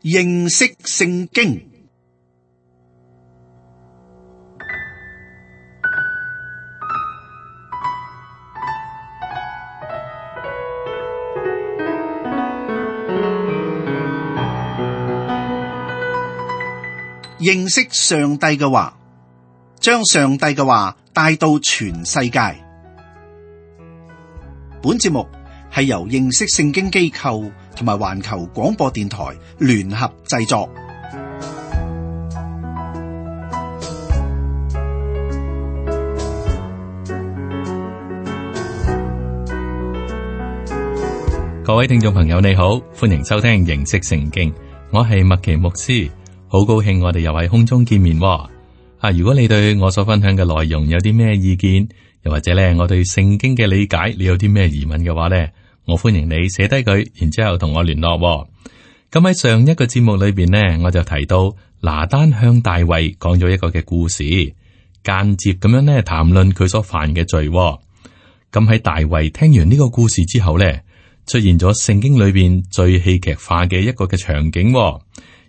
認識聖經。認識上帝嘅話，將上帝嘅話帶到全世界。本節目係由認識聖經機構同埋環球廣播電台聯合製作。各位聽眾朋友你好，歡迎收聽認識聖經，我係麥奇牧師。好高興我哋又喺空中見面喎。如果你對我所分享嘅內容有啲咩意見，又或者咧我對聖經嘅理解，你有啲咩疑問嘅話咧，我歡迎你寫低佢，然之後同我聯絡喎。咁喺上一個節目裏邊呢，我就提到拿單向大衛講咗一個嘅故事，間接咁樣咧談論佢所犯嘅罪喎。咁喺大衛聽完呢個故事之後咧，出現咗聖經裏邊最戲劇化嘅一個嘅場景喎。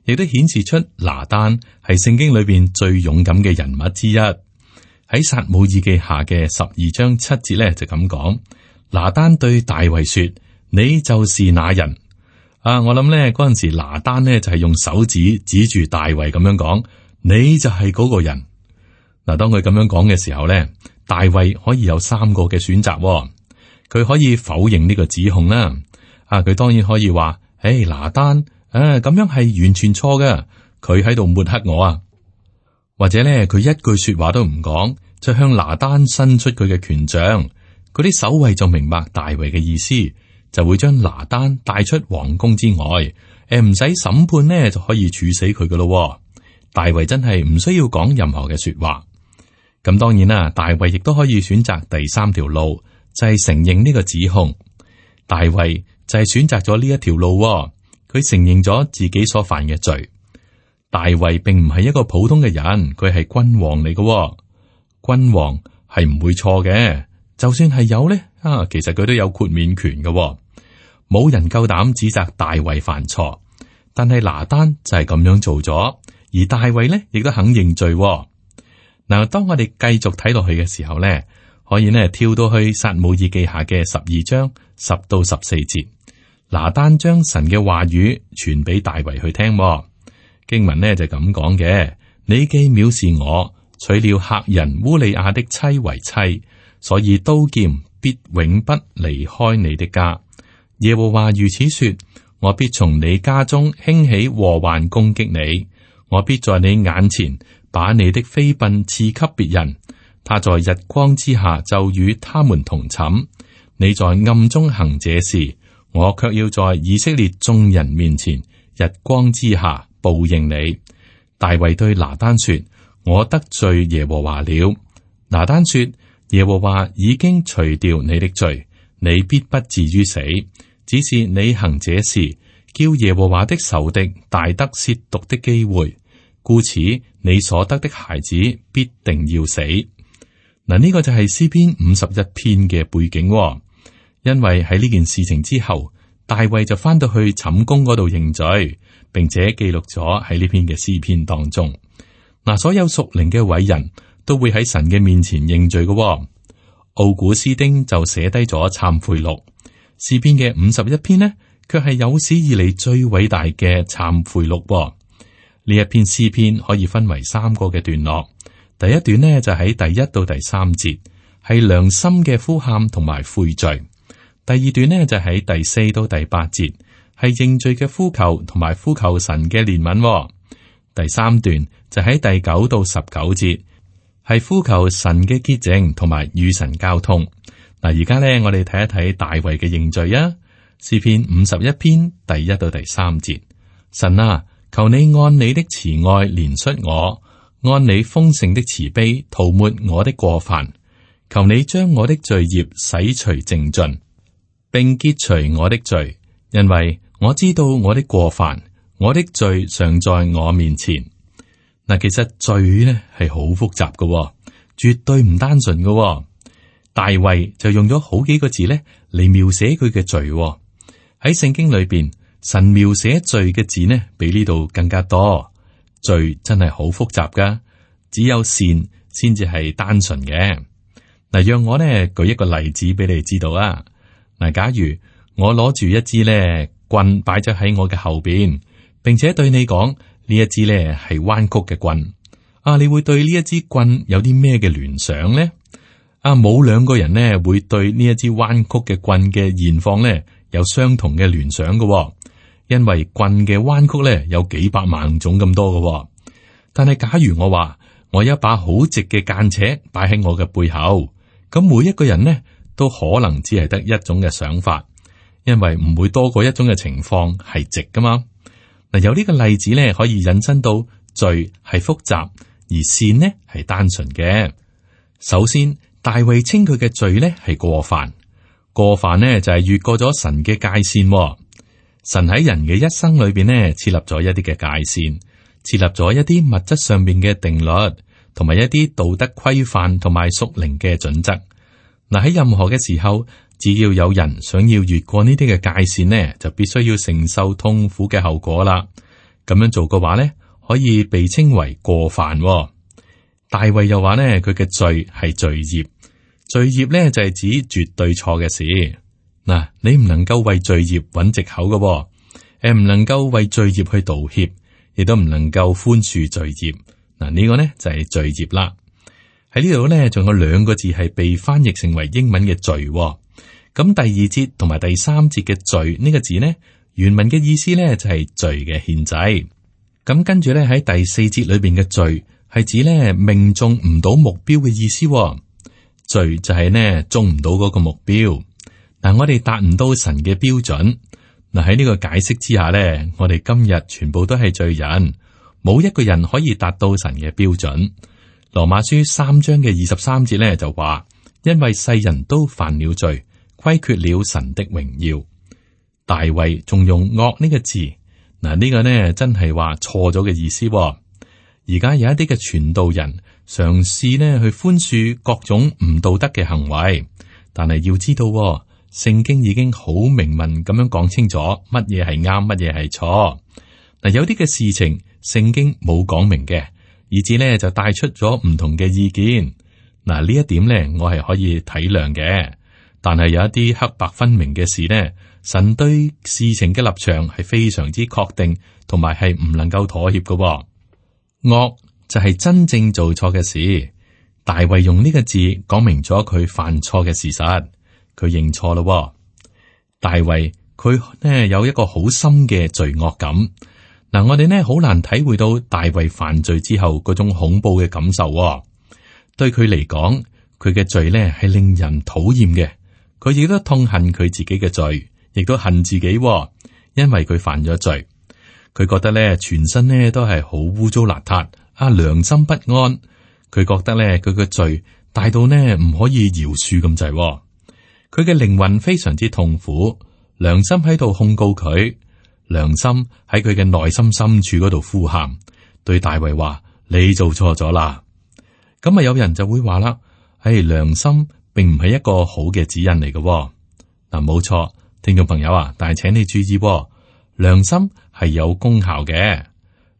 亦都顯示出拿單係聖經裏邊最勇敢嘅人物之一。喺撒母耳記下嘅12章7節咧就咁講：拿單對大衛說，你就是那人。我諗咧嗰陣時拿單呢就係用手指指住大衛咁樣講，你就係嗰個人。嗱，當佢咁樣講嘅時候咧，大衛可以有3個嘅選擇。佢可以否認呢個指控啦。佢當然可以話，拿單。咁樣係完全錯嘅，佢喺度抹黑我啊！或者咧，佢一句說話都唔講，就向拿單伸出佢嘅權杖，嗰啲守衛就明白大衛嘅意思，就會將拿單帶出皇宮之外，唔使審判呢就可以處死佢噶咯。大衛真係唔需要講任何嘅說話。咁當然啦，大衛亦都可以選擇第3條路，就係承認呢個指控。大衛就係選擇咗呢一條路。佢承認咗自己所犯嘅罪。大衛並唔係一個普通嘅人，佢係君王嚟嘅。君王係唔會錯嘅，就算係有咧，其實佢都有豁免權嘅。冇人夠膽指責大衛犯錯，但係拿單就係咁樣做咗，而大衛咧亦都肯認罪。嗱，當我哋繼續睇落去嘅時候咧，可以呢跳到去撒母耳記下嘅12章10到14節。拿單將神嘅話語傳俾大衛去聽。經文呢就咁講嘅：你既藐視我，娶了赫人烏利亞的妻為妻，所以刀劍必永不離開你的家。耶和華如此說：我必從你家中興起禍患攻擊你，我必在你眼前把你的妃嬪賜給別人，他在日光之下就與他們同寢，你在暗中行這事，我卻要在以色列眾人面前日光之下報應你。大衛對拿單說：我得罪耶和華了。拿單說：耶和華已經除掉你的罪，你必不至於死，只是你行這事，叫耶和華的仇敵大得褻瀆的機會，故此你所得的孩子必定要死。嗱，呢個就係詩篇51篇嘅背景。因為喺呢件事情之後，大衛就翻到去寢宮嗰度認罪，並且記錄咗喺呢篇嘅詩篇當中。嗱，所有屬靈嘅偉人都會喺神嘅面前認罪嘅。奧古斯丁就寫低咗懺悔錄，詩篇嘅51篇呢，卻係有史以嚟最偉大嘅懺悔錄。呢一篇詩篇可以分為3個嘅段落，第一段呢就喺第1到第3節，係良心嘅呼喊同埋悔罪。第二段呢就喺第4到第8節，係認罪嘅呼求同埋呼求神嘅憐憫。第3段就喺第9到19節，係呼求神嘅潔淨同埋與神交通。嗱，而家呢我哋睇一睇大衛嘅認罪啊。詩篇51篇第1到第3節，神啊，求你按你的慈愛憐恤我，按你豐盛的慈悲塗抹我的過犯，求你將我的罪孽洗除淨盡，並潔除我的罪，因為我知道我的過犯，我的罪常在我面前。嗱，其實罪呢係好複雜嘅，絕對唔單純嘅。大衛就用咗好幾個字呢嚟描寫佢嘅罪。喺聖經裏邊，神描寫罪嘅字呢，比呢度更加多。罪真係好複雜噶，只有善先至係單純嘅。嗱，讓我呢舉一個例子俾你知道啊。嗱，假如我攞住一支呢棍擺咗喺我嘅後邊，並且對你講呢一支呢係彎曲嘅棍，啊，你會對呢一支棍有啲咩嘅聯想呢？啊，冇兩個人呢會對呢一支彎曲嘅棍嘅現況呢有相同嘅聯想嘅，因為棍嘅彎曲呢有幾百萬種咁多嘅。但係假如我話我有一把好直嘅間尺擺喺我嘅背後，咁每一個人呢都可能只係得一種嘅想法，因為唔會多過一種嘅情況係直噶嘛。嗱，有呢個例子呢可以引申到罪係複雜，而善呢係單純嘅。首先，大衛稱佢嘅罪呢係過犯，過犯呢就係越過咗神嘅界線。神喺人嘅一生裏邊呢設立咗一啲嘅界線，設立咗一啲物質上面嘅定律，同埋一啲道德規範同埋屬靈嘅準則。嗱，喺任何嘅時候，只要有人想要越過呢啲嘅界線呢，就必須要承受痛苦嘅後果啦。咁樣做嘅話呢，可以被稱為過犯。大衛又話呢，佢嘅罪係罪孽，罪孽呢就係指絕對錯嘅事。嗱，你唔能夠為罪孽揾藉口嘅，唔能夠為罪孽去道歉，亦都唔能夠寬恕罪孽。嗱，呢個呢就係罪孽啦。喺呢度呢，仲有兩個字係被翻譯成為英文嘅罪。咁第二節同埋第三節嘅罪呢個字呢，原文嘅意思呢就係罪嘅獻祭。咁跟住呢，喺第四節裏邊嘅罪係指呢命中唔到目標嘅意思。罪就係呢中唔到嗰個目標。嗱，我哋達唔到神嘅標準。嗱，喺呢個解釋之下呢，我哋今日全部都係罪人，冇一個人可以達到神嘅標準。羅馬書3章嘅23節呢就話，因為世人都犯了罪，虧缺了神的榮耀。大衛仲用惡呢個字，嗱，呢個呢真係話錯咗嘅意思。而家有一啲嘅傳道人嘗試呢去寬恕各種唔道德嘅行為，但係要知道，聖經已經好明文咁樣講清楚乜嘢係啱，乜嘢係錯。嗱，有啲嘅事情聖經冇講明嘅，以至呢就帶出咗唔同嘅意見。嗱，呢一點呢我係可以體諒嘅，但係有一啲黑白分明嘅事呢，神對事情嘅立場係非常之確定，同埋係唔能夠妥協嘅。惡就係真正做錯嘅事。大衛用呢個字講明咗佢犯錯嘅事實，佢認錯咯。大衛佢呢有一個好深嘅罪惡感。嗱，我哋呢好難體會到大衛犯罪之後嗰種恐怖嘅感受。對佢嚟講，佢嘅罪呢係令人討厭嘅。佢亦都痛恨佢自己嘅罪，亦都恨自己，因為佢犯咗罪。佢覺得呢全身呢都係好污糟邋遢，良心不安。佢覺得呢佢嘅罪大到呢唔可以饒恕咁滯。佢嘅靈魂非常之痛苦，良心喺度控告佢，良心喺佢嘅內心深處嗰度呼喊，對大衛話：你做錯咗啦。咁啊，有人就會話啦，良心並唔係一個好嘅指引嚟嘅。嗱，冇錯，聽眾朋友啊，但係請你注意，良心係有功效嘅。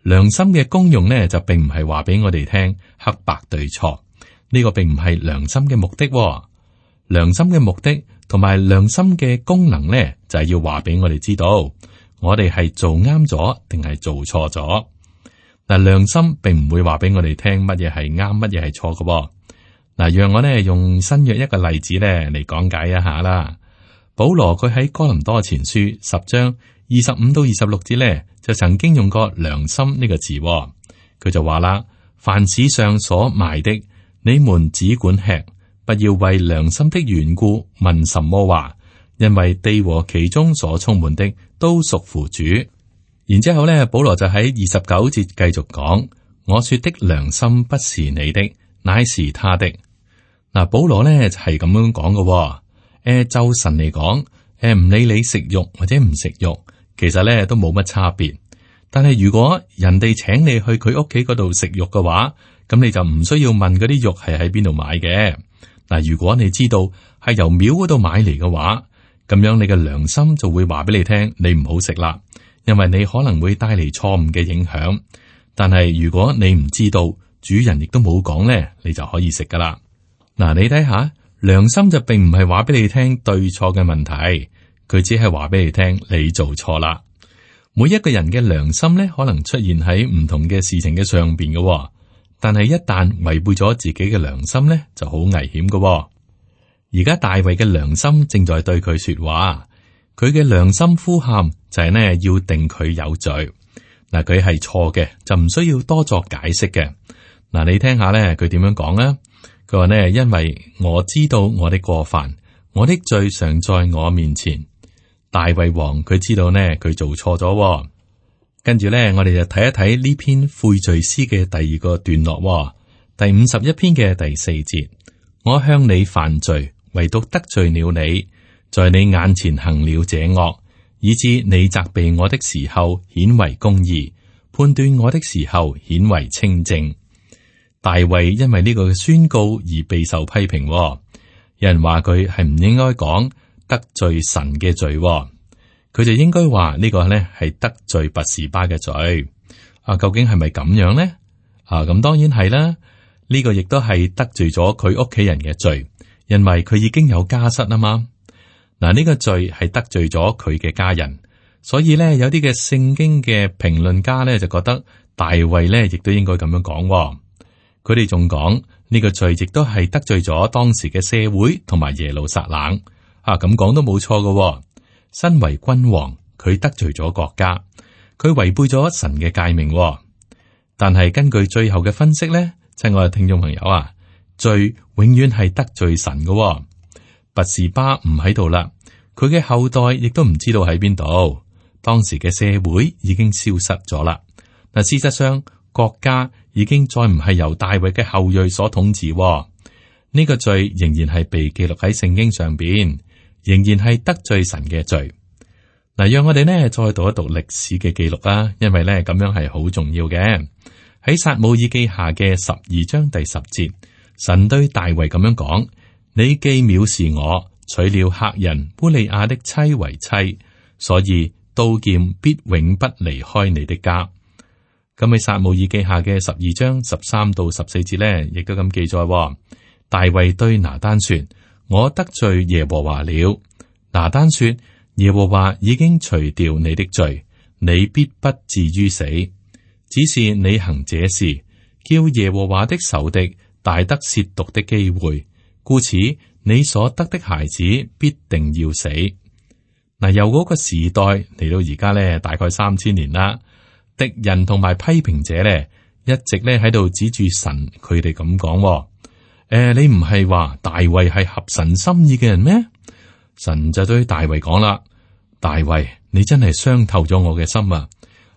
良心嘅功用呢，就並唔係話俾我哋聽黑白對錯，呢個並唔係良心嘅目的。良心嘅目的同埋良心嘅功能呢，就係要話俾我哋知道，我哋係做啱咗定係做錯咗。嗱，良心並唔會話俾我哋聽乜嘢係啱，乜嘢係錯嘅。嗱，讓我呢用新約一個例子呢嚟講解一下啦。保羅佢喺哥林多前書10章25到26節呢，就曾經用過良心呢個字。佢就話啦：凡市上所賣的，你們只管吃，不要為良心的緣故問什麼話，因為地和其中所充滿的都屬乎主。然之後咧，保羅就喺29節繼續講：我說的良心不是你的，乃是他的。嗱，保羅咧就係咁樣講嘅。就神嚟講，唔理你食肉或者唔食肉，其實咧都冇乜差別。但係如果人哋請你去佢屋企嗰度食肉嘅話，咁你就唔需要問嗰啲肉係喺邊度買嘅。嗱，如果你知道係由廟嗰度買嚟嘅話，咁樣你嘅良心就會話俾你聽，你唔好食啦，因為你可能會帶嚟錯誤嘅影響。但係如果你唔知道，主人亦都冇講呢，你就可以食噶啦。嗱，你睇下，良心就並唔係話俾你聽對錯嘅問題，佢只係話俾你聽你做錯啦。每一個人嘅良心呢，可能出現喺唔同嘅事情嘅上邊嘅，但係一旦違背咗自己嘅良心呢，就好危險嘅。而家大衛嘅良心正在對佢說話，佢嘅良心呼喊就係呢，要定佢有罪。嗱，佢係錯嘅，就唔需要多作解釋嘅。嗱，你聽下咧，佢點樣講啊？佢話呢，因為我知道我的過犯，我的罪常在我面前。大衛王佢知道呢，佢做錯咗。跟住咧，我哋就睇一睇呢篇悔罪詩嘅第二個段落，第51篇嘅第4節。我向你犯罪，唯獨得罪了你，在你眼前行了這惡，以致你責備我的時候顯為公義，判斷我的時候顯為清正。大衛因為呢個宣告而備受批評。有人話佢係唔應該講得罪神嘅罪，佢就應該話呢個呢係得罪拔示巴嘅罪。究竟係咪咁樣呢？咁當然係啦。呢個亦都係得罪咗佢屋企人嘅罪，因為佢已經有家室啊嘛。嗱，呢個罪係得罪咗佢嘅家人，所以咧有啲嘅聖經嘅評論家咧就覺得大衛咧亦都應該咁樣講。佢哋仲講呢個罪亦都係得罪咗當時嘅社會同埋耶路撒冷。咁講都冇錯嘅。身為君王，佢得罪咗國家，佢違背咗神嘅誡命。但係根據最後嘅分析咧，親愛嘅聽眾朋友啊，罪永遠係得罪神嘅。拔示巴唔喺度啦，佢嘅後代亦都唔知道喺邊度。當時嘅社會已經消失咗啦。嗱，事實上國家已經再唔係由大衛嘅後裔所統治。呢個罪仍然係被記錄喺聖經上邊，仍然係得罪神嘅罪。嗱，讓我哋呢再讀一讀歷史嘅記錄啦，因為呢咁樣係好重要嘅。喺撒母耳記下嘅12章第10節，神對大衛咁樣講：你既藐視我，娶了赫人烏利亞的妻為妻，所以刀劍必永不離開你的家。咁喺撒母耳記下嘅12章13到14節呢，亦都咁記載。大衛對拿單說：我得罪耶和華了。拿單說：耶和華已經除掉你的罪，你必不至於死。只是你行這事，叫耶和華的仇敵大得褻瀆的機會，故此你所得的孩子必定要死。嗱，由嗰個時代嚟到而家咧，大概3000年啦。敵人同埋批評者咧，一直咧喺度指住神，佢哋咁講：你唔係話大衛係合神心意嘅人咩？神就對大衛講啦：大衛，你真係傷透咗我嘅心啊！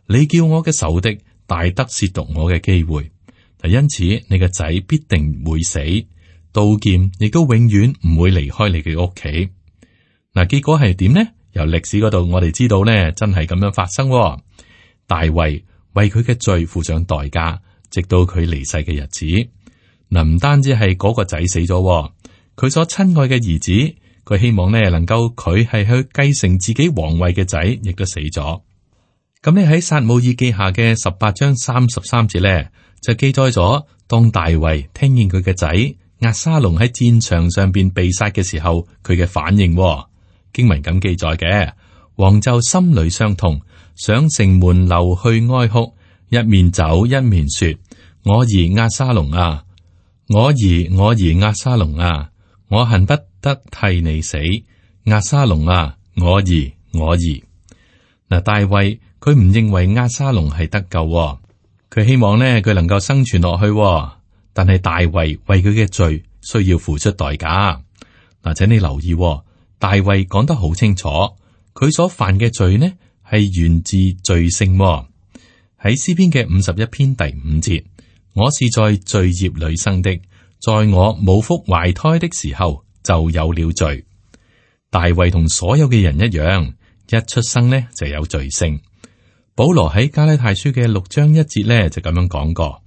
你叫我嘅仇敵大得褻瀆我嘅機會，因此你嘅仔必定會死，刀劍亦都永遠唔會離開你嘅屋企。嗱，結果係點呢？由歷史嗰度我哋知道呢，真係咁樣發生。大衛為佢嘅罪付上代價，直到佢離世嘅日子。嗱，唔單止係嗰個仔死咗，佢所親愛嘅兒子，佢希望呢能夠佢係去繼承自己皇位嘅仔，亦都死咗。咁你喺撒母耳記下嘅18章33節咧，就記載咗當大衛聽見佢嘅仔押沙龍喺戰場上邊被殺嘅時候，佢嘅反應。經文咁記載嘅，王就心裏傷痛，上城門樓去哀哭，一面走一面說：我兒押沙龍啊，我兒押沙龍啊，我恨不得替你死，押沙龍啊，我兒。嗱，大衛佢唔認為押沙龍係得救，佢希望呢佢能夠生存落去，但係大衛為佢嘅罪需要付出代價。嗱，請你留意，大衛講得好清楚，佢所犯嘅罪呢係源自罪性。喺詩篇嘅51篇第5節，我是在罪孽裏生的，在我母腹懷胎的時候就有了罪。大衛同所有嘅人一樣，一出生呢就有罪性。保羅喺加拉太書嘅6章1節呢就咁樣講過：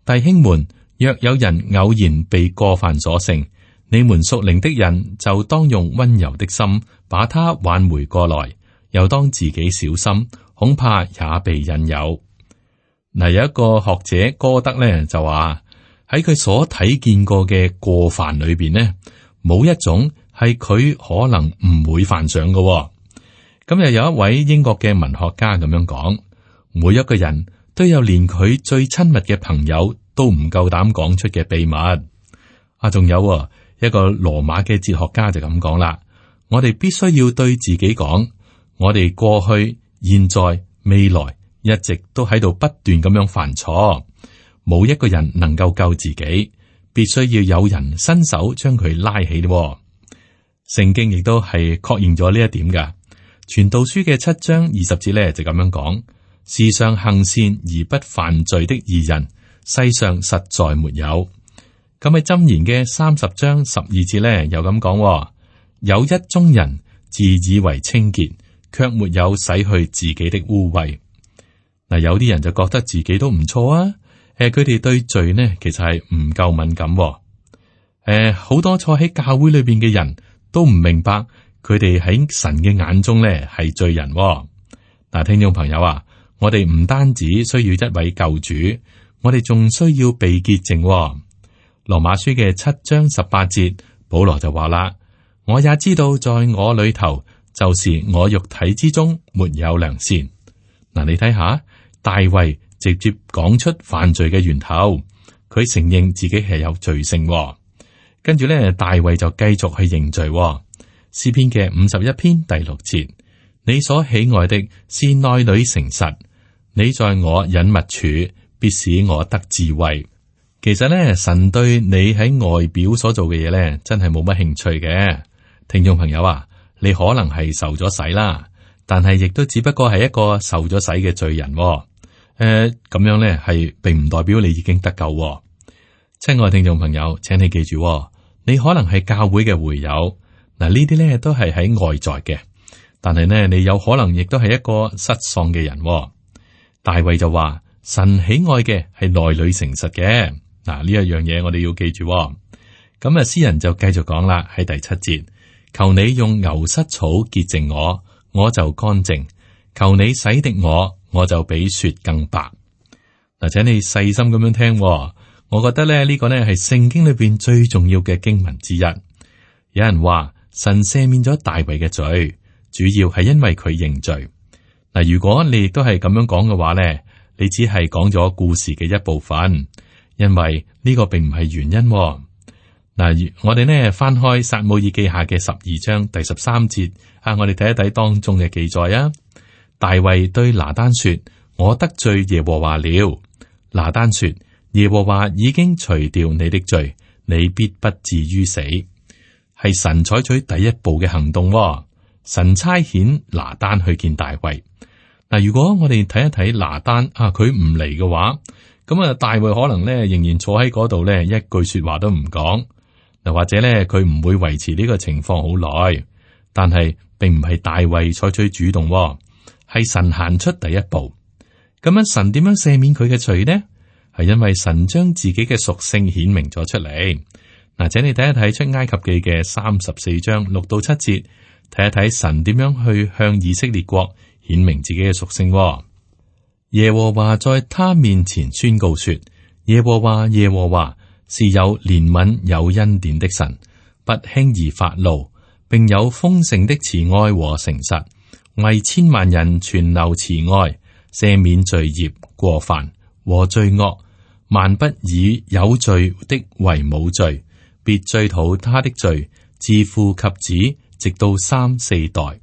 弟兄們，若有人偶然被過犯所勝，你們屬靈的人就當用溫柔的心把他挽回過來，又當自己小心，恐怕也被引誘。嗱，有一個學者歌德咧就話喺佢所睇見過嘅過犯裏邊呢，冇一種係佢可能唔會犯上嘅。咁又有一位英國嘅文學家咁樣講，每一個人都有連佢最親密嘅朋友都唔夠膽講出嘅秘密。仲有一個羅馬嘅哲學家就咁講啦，我哋必須要對自己講，我哋過去、現在、未來一直都喺度不斷咁樣犯錯，冇一個人能夠救自己，必須要有人伸手將佢拉起。聖經亦都係確認咗呢一點噶。傳道書嘅7章20節咧就咁樣講：世上行善而不犯罪的義人，世上實在沒有。咁喺箴言嘅30章12節咧又咁講：有一宗人自以為清潔，卻沒有洗去自己的污穢。嗱，有啲人就覺得自己都唔錯啊，佢哋對罪呢其實係唔夠敏感。好多坐喺教會裏邊嘅人都唔明白，佢哋喺神嘅眼中咧係罪人。嗱，聽眾朋友啊，我哋唔單止需要一位救主，我哋仲需要被潔淨。羅馬書嘅7章18節，保羅就話啦：我也知道在我裏頭，就是我肉體之中沒有良善。嗱，你睇下，大衛直接講出犯罪嘅源頭，佢承認自己係有罪性。跟住咧，大衛就繼續去認罪。詩篇嘅51篇第6節，你所喜愛的是內裏誠實，你在我隱密處，必使我得智慧。其實咧，神對你喺外表所做嘅嘢咧，真係冇乜興趣嘅。聽眾朋友啊，你可能係受咗洗啦，但係亦都只不過係一個受咗洗嘅罪人。咁樣咧係並唔代表你已經得救。親愛聽眾朋友，請你記住，你可能係教會嘅會友，嗱，呢啲咧都係喺外在嘅，但係呢，你有可能亦都係一個失喪嘅人。大衛就話：神喜愛嘅係內裏誠實嘅。嗱，呢一樣嘢我哋要記住。咁啊，詩人就繼續講啦，喺第7節，求你用牛膝草潔淨我，我就乾淨；求你洗滌我，我就比雪更白。嗱，請你細心咁樣聽，我覺得咧呢個呢係聖經裏邊最重要嘅經文之一。有人話神赦免咗大衛嘅罪，主要係因為佢認罪。嗱，如果你亦都係咁樣講嘅話呢，你只係講咗故事嘅一部分。因為呢個並唔係原因。嗱，我哋呢翻開撒母耳記下嘅12章第13節我哋睇一睇當中嘅記載啊。大衛對拿單說：我得罪耶和華了。拿單說：耶和華已經除掉你的罪，你必不至於死。係神採取第一步嘅行動。神差遣拿單去見大衛。嗱，如果我哋睇一睇拿單佢唔嚟嘅話，咁啊，大衛可能咧仍然坐喺嗰度咧，一句說話都唔講。嗱，或者咧佢唔會維持呢個情況好耐。但係並唔係大衛採取主動，係神行出第一步。咁樣神點樣赦免佢嘅罪呢？係因為神將自己嘅屬性顯明咗出嚟。嗱，請你睇一睇出埃及記嘅34章6到7節，睇一睇神點樣去向以色列國顯明自己嘅屬性。耶和華在他面前宣告說：耶和華耶和華是有憐憫有恩典的神，不輕易發怒，並有豐盛的慈愛和誠實，為千萬人存留慈愛，赦免罪孽過犯和罪惡，萬不以有罪的為無罪，必追討他的罪，自父及子，直到3、4代。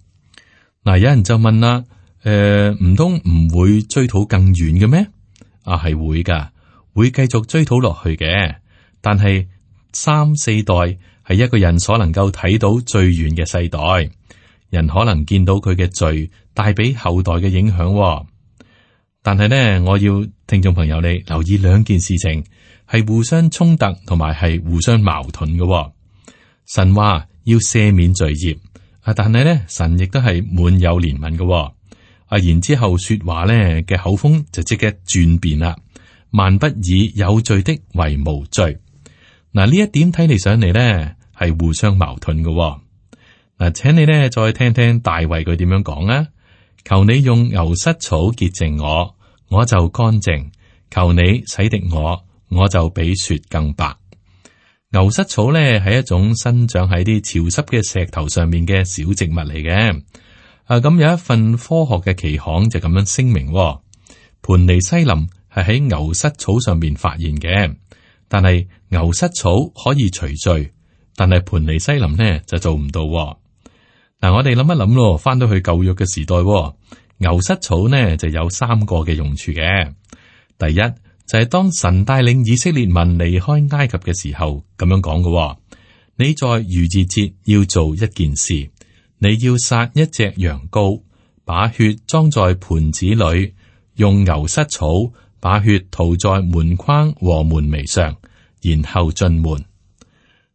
嗱，有人就問啦。唔通唔會追討更遠嘅咩？係會噶，會繼續追討落去嘅。但係3、4代係一個人所能夠睇到最遠嘅世代，人可能見到佢嘅罪帶俾後代嘅影響。但係呢，我要聽眾朋友你留意兩件事情係互相衝突同埋係互相矛盾嘅。神話要赦免罪孽，但係呢，神亦都係滿有憐憫嘅。然之後說話咧嘅口風就即刻轉變啦，萬不以有罪的為無罪。嗱，呢一點睇嚟上嚟咧係互相矛盾嘅。嗱，請你咧再聽聽大衛佢點樣講啊。求你用牛膝草潔淨我，我就乾淨；求你洗滌我，我就比雪更白。牛膝草咧係一種生長喺啲潮濕嘅石頭上面嘅小植物嚟嘅。咁有一份科學嘅期刊就咁樣聲明，盤尼西林係喺牛膝草上面發現嘅，但係牛膝草可以除罪，但係盤尼西林呢就做唔到。嗱，我哋諗一諗咯，翻到去舊約嘅時代，牛膝草呢就有3個嘅用處嘅。第一就係當神帶領以色列民離開埃及嘅時候，咁樣講嘅。你在逾越節要做一件事，你要殺一隻羊羔，把血裝在盤子裏，用牛膝草把血塗在門框和門楣上，然後進門。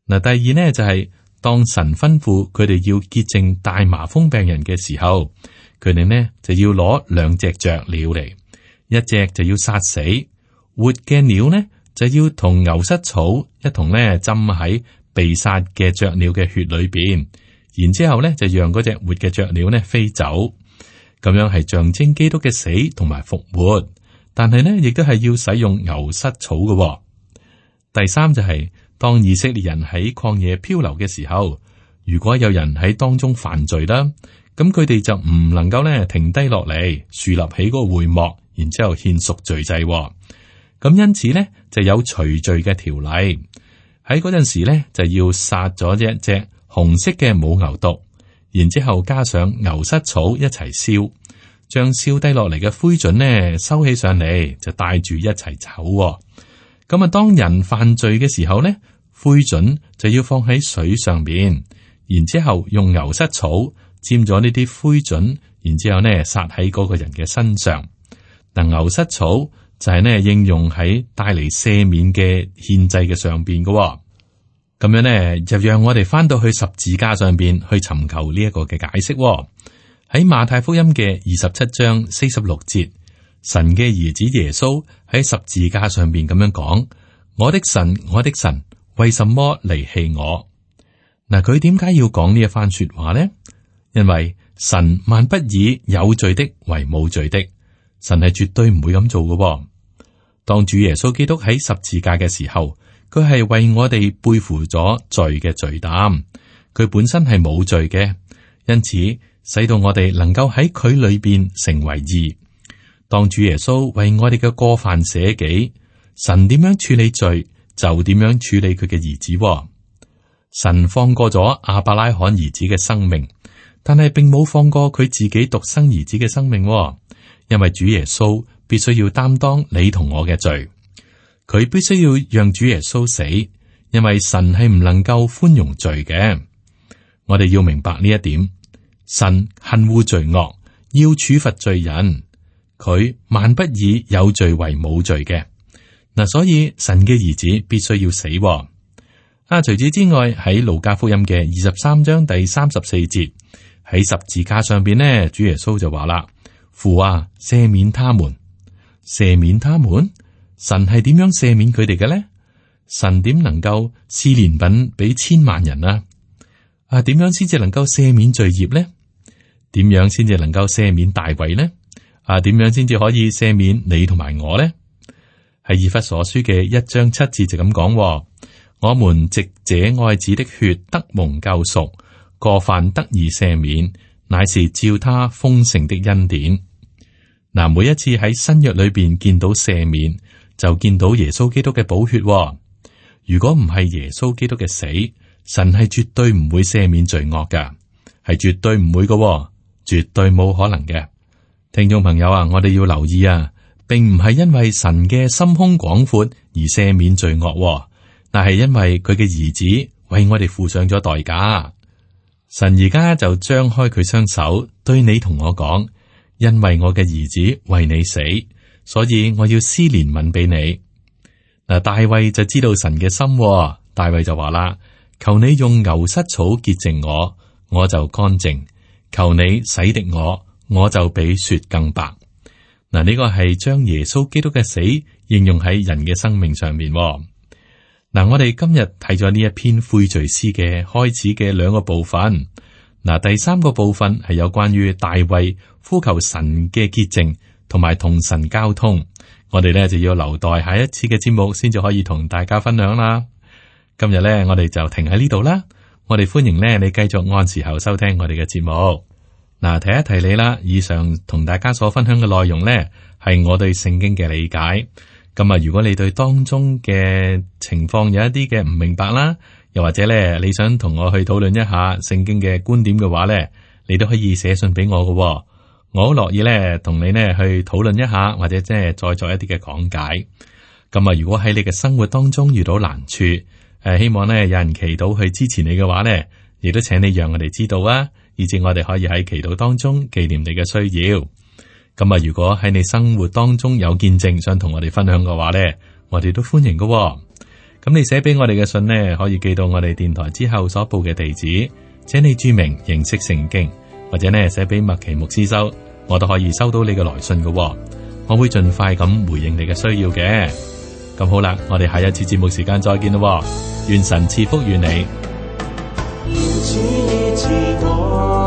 嗱，第二呢就係當神吩咐佢哋要潔淨大麻風病人嘅時候，佢哋呢就要攞2隻雀鳥嚟，一隻就要殺死。活嘅鳥呢，就要同牛膝草一同呢浸喺被殺嘅雀鳥嘅血裏邊，然之後呢就讓嗰隻活嘅雀鳥呢飛走，咁樣係象徵基督嘅死同埋復活。但係呢，亦都係要使用牛膝草嘅。第三就係當以色列人喺曠野漂流嘅時候，如果有人喺當中犯罪啦，咁佢哋就唔能夠呢停低落嚟，豎立起嗰個會幕，然之後獻贖罪祭。咁因此呢，就有除罪嘅條例。喺嗰陣時呢，就要殺咗一隻紅色嘅母牛犢，然之後加上牛膝草一齊燒，將燒低落嚟嘅灰燼呢收起上嚟，就帶住一齊走。咁啊，當人犯罪嘅時候呢，灰燼就要放喺水上邊，然之後用牛膝草沾咗呢啲灰燼，然之後呢撒喺嗰個人嘅身上。嗱，牛膝草就係呢應用喺帶嚟赦免嘅獻祭嘅上邊嘅。咁樣呢就讓我哋翻到去十字架上邊去尋求呢一個嘅解釋。喺馬太福音嘅27章46節，神嘅兒子耶穌喺十字架上邊咁樣講：我的神，我的神，為什麼離棄我？嗱，佢點解要講呢一番說話呢？因為神萬不以有罪的為冇罪的，神係絕對唔會咁做嘅。當主耶穌基督喺十字架嘅時候，佢係為我哋背負咗罪嘅罪擔，佢本身係冇罪嘅，因此使到我哋能夠喺佢裏邊成為義。當主耶穌為我哋嘅過犯捨己，神點樣處理罪，就點樣處理佢嘅兒子。神放過咗亞伯拉罕兒子嘅生命，但係並冇放過佢自己獨生兒子嘅生命，因為主耶穌必須要擔當你同我嘅罪，佢必須要讓主耶穌死，因為神係唔能夠寬容罪嘅。我哋要明白呢一點，神恨惡罪惡，要處罰罪人，佢萬不以有罪為冇罪嘅。嗱，所以神嘅兒子必須要死。除此之外，喺路加福音嘅23章第34節，喺十字架上邊呢，主耶穌就話啦：父啊，赦免他們，赦免他們。神係點樣赦免佢哋嘅咧？神點能夠施憐憫俾千萬人啊？點樣先至能夠赦免罪孽咧？點樣先至能夠赦免大衛咧？點樣先至可以赦免你同埋我咧？喺以弗所書嘅1章7節就咁講：我們藉這愛子的血得蒙救贖，過犯得以赦免，乃是照他豐盛的恩典。嗱，每一次喺新約裏邊見到赦免，就見到耶穌基督嘅寶血。如果唔係耶穌基督嘅死，神係絕對唔會赦免罪惡噶，係絕對唔會噶，絕對冇可能嘅。聽眾朋友啊，我哋要留意啊，並唔係因為神嘅心胸廣闊而赦免罪惡，但係因為佢嘅兒子為我哋付上咗代價。神而家就張開佢雙手，對你同我講：因為我嘅兒子為你死，所以我要施憐憫俾你。嗱，大衛就知道神嘅心，大衛就話啦：求你用牛膝草潔淨我，我就乾淨；求你洗滌我，我就比雪更白。嗱，呢個係將耶穌基督嘅死應用喺人嘅生命上面。嗱，我哋今日睇咗呢一篇悔罪詩嘅開始嘅2個部分。嗱，第三個部分係有關於大衛呼求神嘅潔淨，同埋同神交通。我哋咧就要留待下一次嘅節目先至可以同大家分享啦。今日咧我哋就停喺呢度啦。我哋歡迎咧你繼續按時候收聽我哋嘅節目。嗱，提一提你啦，以上同大家所分享嘅內容咧係我對聖經嘅理解。咁啊，如果你對當中嘅情況有一啲嘅唔明白啦，又或者咧你想同我去討論一下聖經嘅觀點嘅話咧，你都可以寫信俾我㗎。我好樂意咧，同你呢去討論一下，或者即係再作一啲嘅講解。咁啊，如果喺你嘅生活當中遇到難處，希望呢有人祈禱去支持你嘅話呢，亦都請你讓我哋知道啊，以至我哋可以喺祈禱當中紀念你嘅需要。咁啊，如果喺你生活當中有見證想同我哋分享嘅話呢，我哋都歡迎㗎。咁你寫俾我哋嘅信呢，可以寄到我哋電台之後所報嘅地址，請你注明認識聖經。或者呢寫俾麥奇牧師收，我都可以收到你嘅來信嘅，我會盡快咁回應你嘅需要嘅。咁好啦，我哋下一次節目時間再見咯，願神賜福與你。主醫治我